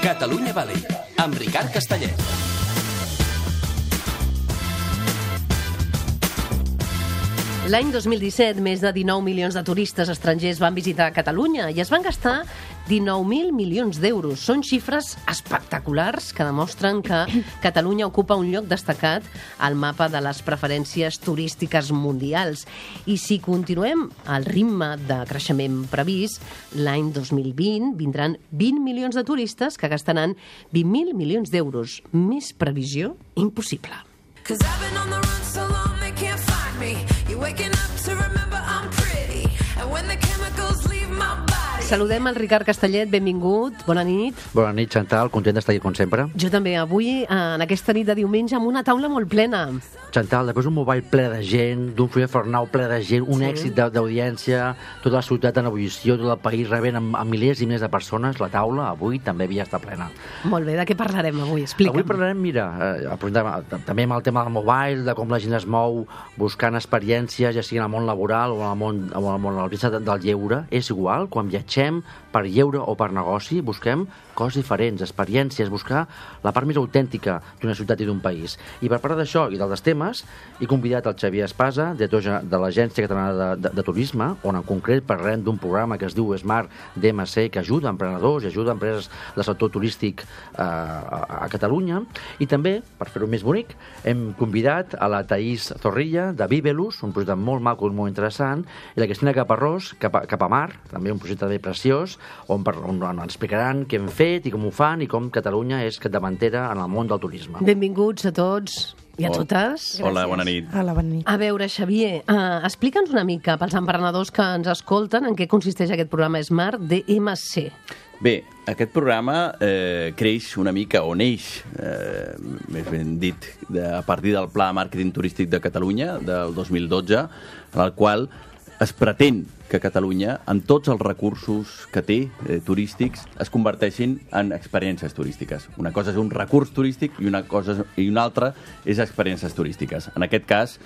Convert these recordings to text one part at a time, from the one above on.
Catalunya Valley, amb Ricard Castellet. L'any 2017, més de 19 milions de turistes estrangers van visitar Catalunya i es van gastar 19.000 milions d'euros. Són xifres espectaculars que demostren que Catalunya ocupa un lloc destacat al mapa de les preferències turístiques mundials. I si continuem al ritme de creixement previst, l'any 2020 vindran 20 milions de turistes que gastaran 20.000 milions d'euros. Més previsió impossible. Saludem el Ricard Castellet, benvingut, bona nit. Bona nit, Chantal, content d'estar aquí com sempre. Jo també, avui, en aquesta nit de diumenge, amb una taula molt plena. Chantal, després d'un mobile ple de gent, d'un Fulles-Fornau ple de gent, un èxit d'audiència, tota la ciutat en ebullició, tot el país rebent amb milers i milers de persones, la taula avui també havia estat plena. Molt bé, de què parlarem avui? Explica'm. Avui parlarem, mira, també amb el tema del mobile, de com la gent es mou buscant experiències, ja sigui en el món laboral o en el món del lleure. És igual, quan viatgem per lleure o per negoci, busquem coses diferents, experiències, buscar la part més autèntica d'una ciutat i d'un país. I per parlar d'això i d'altres temes, he convidat el Xavier Espasa, director de l'Agència Catalana de Turisme, on en concret parlarem d'un programa que es diu Smart DMC, que ajuda emprenedors i ajuda empreses del sector turístic a Catalunya. I també, per fer-ho més bonic, hem convidat a la Thaís Zorrilla, de Vivelus, un projecte molt maco i molt interessant, i la Cristina Caparrós, Cap a Mar, també un projecte també preciós, on ens explicaran què hem fet i com ho fan i com Catalunya és capdavantera en el món del turisme. Benvinguts a tots i a totes. Hola, bona nit. Hola, bona nit. A veure, Xavier, explica'ns una mica pels emprenedors que ens escolten en què consisteix aquest programa Smart DMC. Bé, aquest programa creix una mica, o neix, més ben dit, a partir del Pla de Màrqueting Turístic de Catalunya del 2012, en el qual es pretén que Catalunya, amb tots els recursos que té turístics, es converteixin en experiències turístiques. Una cosa és un recurs turístic i una altra és experiències turístiques. En aquest cas,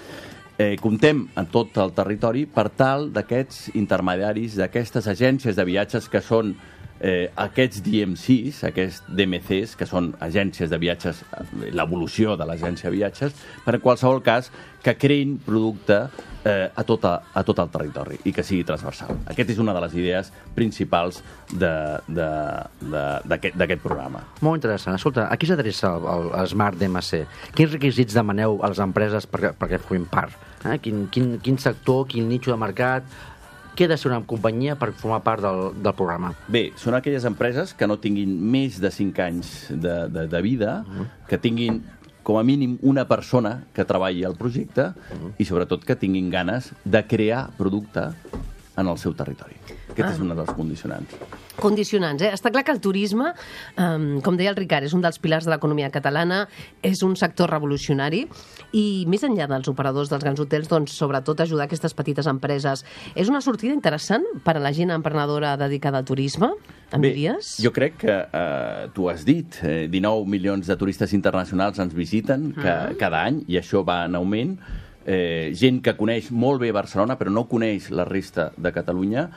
comptem en tot el territori per tal d'aquests intermediaris, d'aquestes agències de viatges que són aquests DMCs, aquests DMCs, que són agències de viatges, l'evolució de l'agència de viatges, per en qualsevol cas que creïn producte a tot el territori i que sigui transversal. Aquesta és una de les idees principals d'aquest programa. Molt interessant. Escolta, a qui s'adreça el Smart DMC? Quins requisits demaneu a les empreses perquè formin part? Quin sector, quin nicho de mercat? Què ha de ser una companyia per formar part del programa? Bé, són aquelles empreses que no tinguin més de 5 anys de vida, que tinguin com a mínim una persona que treballi al projecte i sobretot que tinguin ganes de crear producte en el seu territori. Aquest és un dels condicionants. Condicionants, eh? Està clar que el turisme, com deia el Ricard, és un dels pilars de l'economia catalana, és un sector revolucionari i més enllà dels operadors dels grans hotels, doncs sobretot ajudar aquestes petites empreses. És una sortida interessant per a la gent emprenedora dedicada al turisme? Em diries? Jo crec que tu has dit, 19 milions de turistes internacionals ens visiten cada any i això va en augment. Gent que coneix molt bé Barcelona però no coneix la resta de Catalunya,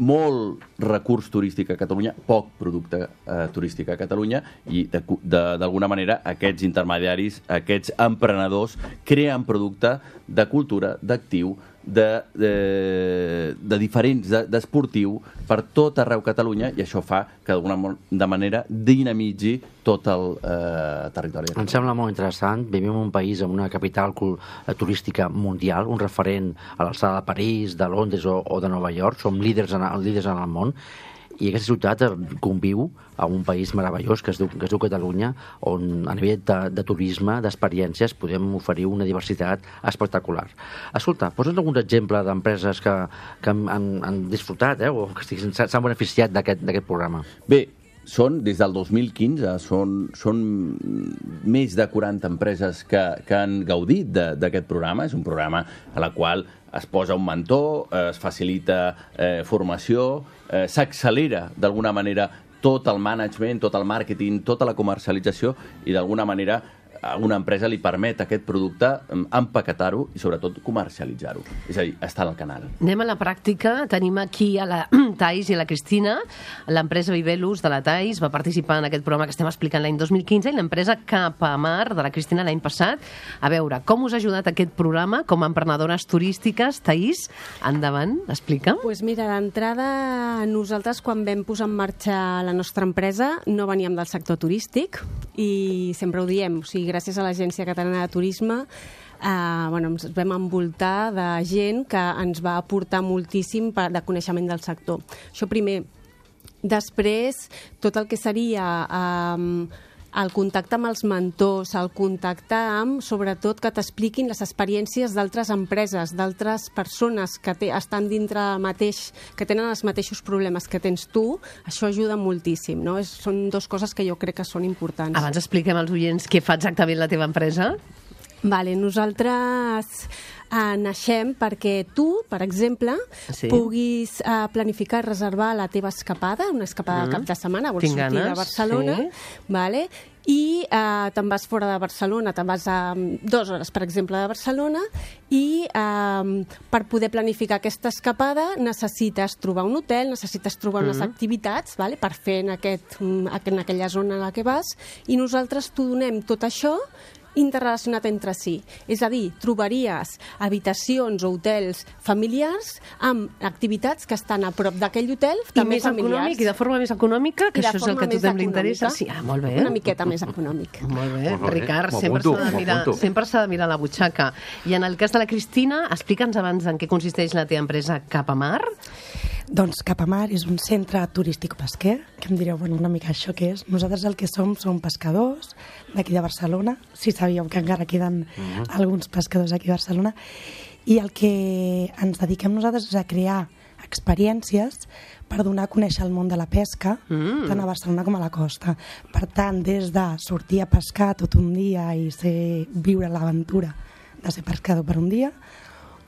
molt recurs turístic a Catalunya, poc producte turístic a Catalunya i d'alguna manera aquests intermediaris, aquests emprenedors creen producte de cultura, d'actiu, de diferents, d'esportiu per tot arreu Catalunya i això fa que d'alguna manera dinamitzi tot el territori. Em sembla molt interessant. Vivim en un país amb una capital turística mundial, un referent a l'alçada de París, de Londres o de Nova York. Som líders en el món i aquesta ciutat conviu en un país meravellós que es diu Catalunya, on a nivell de turisme, d'experiències, podem oferir una diversitat espectacular. Escolta, posa'ns alguns exemples d'empreses que han disfrutat o que s'han beneficiat d'aquest programa. Bé, des del 2015, són més de 40 empreses que han gaudit d'aquest programa. És un programa a la qual es posa un mentor, es facilita formació, s'accelera d'alguna manera tot el management, tot el màrqueting, tota la comercialització i d'alguna manera a una empresa li permet aquest producte empaquetar-ho i sobretot comercialitzar-ho. És a dir, està al canal. Anem a la pràctica. Tenim aquí a la Thais i a la Cristina. L'empresa Vivelus de la Thais va participar en aquest programa que estem explicant l'any 2015 i l'empresa Capamar de la Cristina l'any passat. A veure, com us ha ajudat aquest programa com a emprenedores turístiques? Thais, endavant, explica'm. Pues mira, d'entrada, nosaltres quan vam posar en marxa la nostra empresa no veníem del sector turístic i sempre ho diem, o sigui, gràcies a l'Agència Catalana de Turisme ens vam envoltar de gent que ens va aportar moltíssim de coneixement del sector. Això primer. Després, tot el que seria el contacte amb els mentors, el contacte amb, sobretot, que t'expliquin les experiències d'altres empreses, d'altres persones que estan dintre del mateix, que tenen els mateixos problemes que tens tu, això ajuda moltíssim, no? Són dues coses que jo crec que són importants. Abans expliquem als oients què fa exactament la teva empresa. Vale, nosaltres naixem perquè tu, per exemple, puguis planificar i reservar la teva escapada, una escapada de cap de setmana, vols sortir de Barcelona, vale? I te'n vas fora de Barcelona, te'n vas a 2 hores, per exemple, de Barcelona, i per poder planificar aquesta escapada necessites trobar un hotel, necessites trobar unes activitats, vale? Per fer en aquella zona en la que vas, i nosaltres t'ho donem tot això interrelacionat entre si. És a dir, trobaries habitacions o hotels familiars amb activitats que estan a prop d'aquell hotel, també més familiars. Econòmic, i de forma més econòmica, que això és el que a tothom li interessa. Sí, molt bé. Una miqueta més econòmic. Molt bé, Ricard, sempre s'ha de mirar la butxaca. I en el cas de la Cristina, explica'ns abans en què consisteix la teva empresa Capamar. Doncs Capamar és un centre turístico-pesquer, que em direu, bueno, una mica això què és. Nosaltres el que som pescadors d'aquí de Barcelona, si sabíeu que encara queden alguns pescadors aquí a Barcelona, i el que ens dediquem nosaltres és a crear experiències per donar a conèixer el món de la pesca, tant a Barcelona com a la costa. Per tant, des de sortir a pescar tot un dia i viure l'aventura de ser pescador per un dia,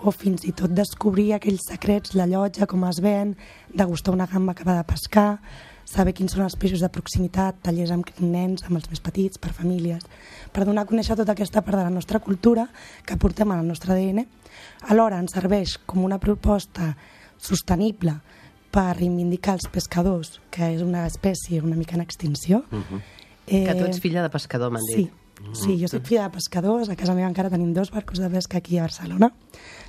o fins i tot descobrir aquells secrets, la llotja, com es ven, degustar una gamba acabada de pescar, saber quins són els peixos de proximitat, tallers amb nens, amb els més petits, per famílies, per donar a conèixer tota aquesta part de la nostra cultura que portem al nostre ADN. Alhora ens serveix com una proposta sostenible per reivindicar els pescadors, que és una espècie una mica en extinció. Que tu ets filla de pescador, m'han dit. Sí, jo soc filla de pescadors, a casa meva encara tenim 2 barcos de pesca aquí a Barcelona.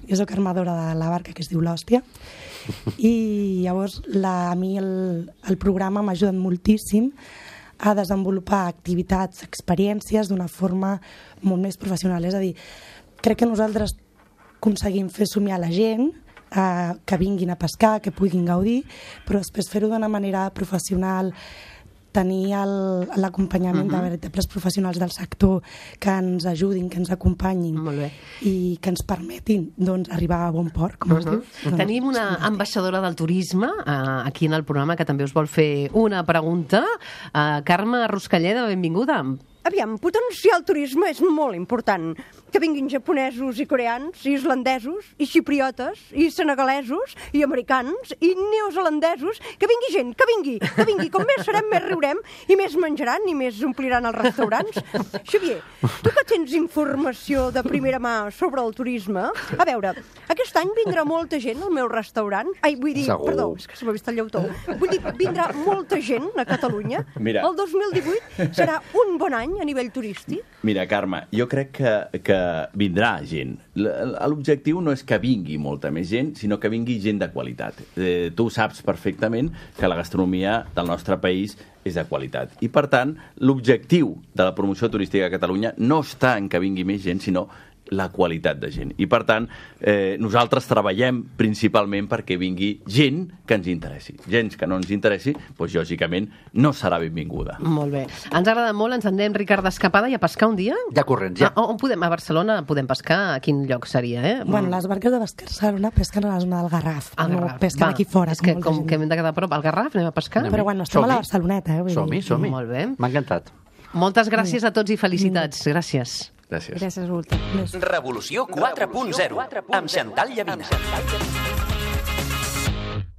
Jo soc armadora de la barca que es diu l'Hòstia. I llavors a mi el programa m'ha ajudat moltíssim a desenvolupar activitats, experiències d'una forma molt més professional. És a dir, crec que nosaltres aconseguim fer somiar la gent, que vinguin a pescar, que puguin gaudir, però després fer-ho d'una manera professional, tenir l'acompanyament de veritables professionals del sector que ens ajudin, que ens acompanyin i que ens permetin arribar a bon port, com es diu. Tenim una ambaixadora del turisme aquí en el programa que també us vol fer una pregunta. Carme Ruscalleda, benvinguda. Aviam, potenciar el turisme és molt important. Que vinguin japonesos i coreans, i islandesos, i xipriotes, i senegalesos, i americans, i neozelandesos. Que vingui gent, que vingui. Com més serem, més riurem, i més menjaran, i més ompliran els restaurants. Xavier, tu que tens informació de primera mà sobre el turisme, a veure, aquest any vindrà molta gent al meu restaurant. Perdó, és que se m'ha vist el llautó. Vull dir, vindrà molta gent a Catalunya. Mira. El 2018 serà un bon any a nivell turístic? Mira, Carme, jo crec que vindrà gent. L'objectiu no és que vingui molta més gent, sinó que vingui gent de qualitat. Tu saps perfectament que la gastronomia del nostre país és de qualitat. I, per tant, l'objectiu de la promoció turística a Catalunya no està en que vingui més gent, sinó la qualitat de gent. I, per tant, nosaltres treballem principalment perquè vingui gent que ens interessi. Gent que no ens interessi, doncs, lògicament, no serà benvinguda. Molt bé. Ens agrada molt, ens anem, Ricard, d'escapada i a pescar un dia? De corrents, ja. On podem? A Barcelona podem pescar? A quin lloc seria, Bueno, les barques de Barcelona pesquen a la zona del Garraf. No pesquen aquí fora. És que com que hem de quedar a prop, al Garraf anem a pescar? Però bueno, estem a la Barceloneta, Som-hi. Molt bé. M'ha encantat. Moltes gràcies a tots i felicitats. Gràcies. Gràcies a vosaltres. Revolució 4.0 amb Xantal Llavina.